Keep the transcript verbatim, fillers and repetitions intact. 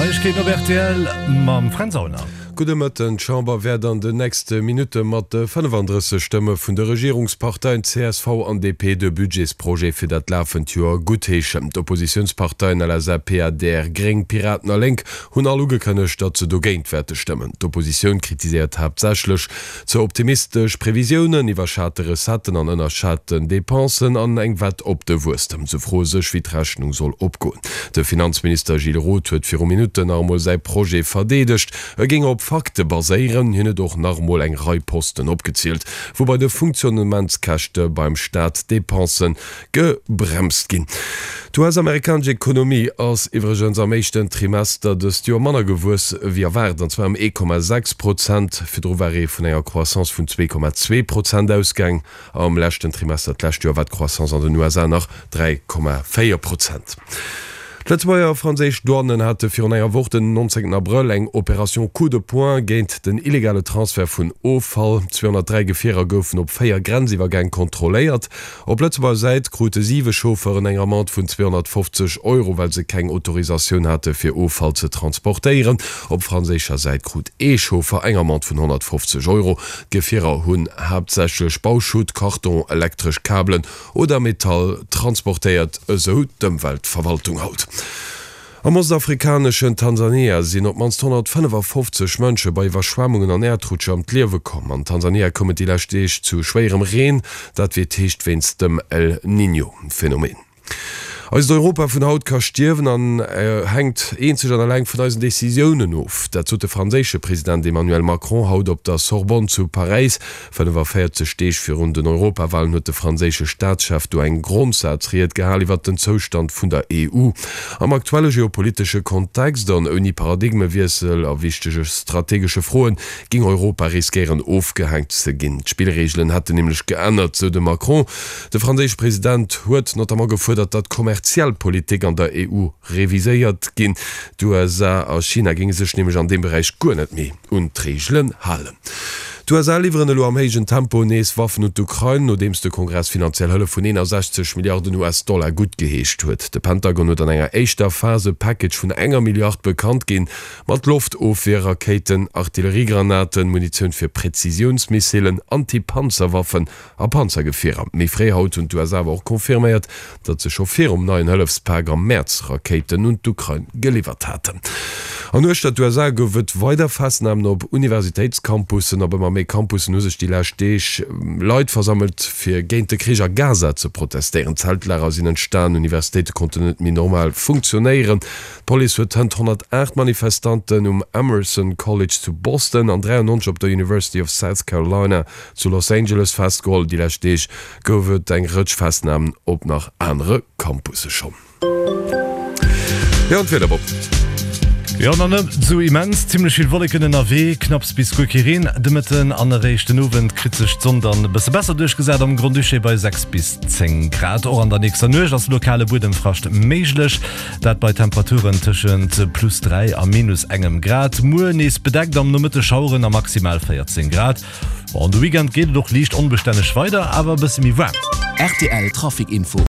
Neiegkeeten op rtl mam Fränz Aulner. Gudde Mëtten. D'Chamber wäert an den nächste Minutte mat fënnefandrësseg Stëmme vun de Regierungsparteien csv an D P de Budgetsprojet fir dat lafend Joer guttheeschen. D'Oppositiounsparteien L S A P, A D R, Gréng, Piraten a Lénk hunn all ugekënnegt, datt se dogéint wäerte stëmmen. D'Oppositioun kritiséiert haaptsächlech ze optimistesch Previsiounen, iwwerschate Recetten an ënnerschaten Depensen an eng Wett op de Wuesstem. Se froe sech, wéi d'Rechnung soll opgoen. De Finanzminister Gilles Roth huet viru Minutten nach emol säi Projet verdeedegt. E géing op Fakte baséieren. Hien huet och nach emol eng Rei Posten opgezielt, wou bei de Funktionnementskäschte beim Staat d'Depense gebremst ginn. D'U S-amerikanesch Ekonomie ass iwwregens am éischten Trimester dëst Joer manner gewuess wéi erwaart, an zwar ëm ee Komma sechs Prozent. Virdru war ee vun enger Croissance vun zwee Komma zwee Prozent ausgaang. Am leschten Trimester d'lescht Joer war d'Croissance an den U S A nach dräi Komma véier Prozent. D'Lëtzebuerger a franséisch Douanen hate virun enger Woch den nonzéngten Abrëll eng Opération Coup de poing géint den illegale Transfert vun Offall. zweehonnertdräi Gefierer goufen op véier Grenziwwergäng kontrolléiert. Op Lëtzebuerger Säit krute siwe Chauffeuren eng Amende vun zweehonnertfofzeg Euro, well se keng Autorisatioun hate fir Offall ze transportéieren. Op franséischer Säit krut ee Chauffer eng Amende vun honnertfofzeg Euro. D'Gefierer hunn haaptsächlech Bauschutt, Karton, elektresch Kabelen oder Metall transportéiert, esou d'Ëmweltverwaltung haut. Am ostafrikaneschen Tansania sinn op d'mannst honnertfënnefafofzeg Mënsche bei Iwwerschwemmungen an Äerdrutscher ëm d'Liewe komm. An Tansania koum et déi lescht Deeg zu schwéierem Reen, dat wéi et heescht wéinst dem El Niño-Phänomen. Eist Europa vun haut ka stierwen an hänkt eenzeg an eleng vun eisen Decisiounen of. Dat sot de franséische President Emmanuel Macron haut op der Sorbonne zu Paräis. fënnefaféierzeg Deeg virun den Europawalen huet de franséische Staatschef do eng Grondsazried gehal iwwer den Zoustand vun der E U. Am aktuelle geopolitesche Kontext an ouni Paradigmewiessel a wichtege strategesche Froen géing Europa riskéieren ofgehänkt ze ginn. D'Spillreegelen hätten nämlech geännert, sou de Macron. De franséische President huet notamment gefuerdert, datt d'kommerziell Politik an der E U reviséiert ginn. D'U S A a China géinge sech nämlech an deem Beräich guer net méi un d'Reegelen halen. D'U S A liwweren elo am héijen Tempo nees Waffen un d'Ukrain, nodeems de Kongress finanziell Hëllef vun eenasechzeg Milliarden U S-Dollar guttgeheescht huet. De Pentagon huet an enger éischter Phas e Package vun enger Milliard bekannt ginn, mat Loftofwierrakéiten, Artilleriegranaten, Munitioun fir Präzisiounsmissilen, Anti-Panzerwaffen a Panzergefierer. Méi fréi haut hunn d'U S A awer och confirméiert, datt se scho virum neien Hëllefspak am Mäerz Rakéiten un d'Ukrain geliwwert haten. An uechter d'U S A gouf et weider Festnamen op Universitéitscampussen. Op ëmmer méi Campussen hu sech déi lescht Deeg Leit versammelt, fir géint de Krich a Gaza ze protestéieren. Zeltlager sinn entstan, Universitéite konnten net méi normal funktionéieren. D'Police huet hënt honnertaacht Manifestanten um Emerson College zu Boston an dräiannonzeg op der University of South Carolina zu Los Angeles festgeholl. Déi lescht Deeg gouf et eng Rëtsch Festnamen op nach anere Campusse schonn. Jo, an d'Wieder, Bob. Jo, nach net sou immens, zimmlech vill Wolleken ënnerwee, knapps bis guer kee Reen de Mëtten an eréischt den Owend kritt sech d'Sonn dann e bësse besser duerchgesat am Grand-Duché bei sechs bis zéng Grad. Och an der nächster Nuecht ass lokale Buedemfrascht méiglech, dat bei Temperaturen tëschent plus dräi a minus engem Grad. Muer nees bedeckt, am Nomëtte Schaueren a maximal véierzéng Grad. An de Weekend geet et och liicht onbestänneg weider, awer e bësse méi waarm. R T L Trafic Info.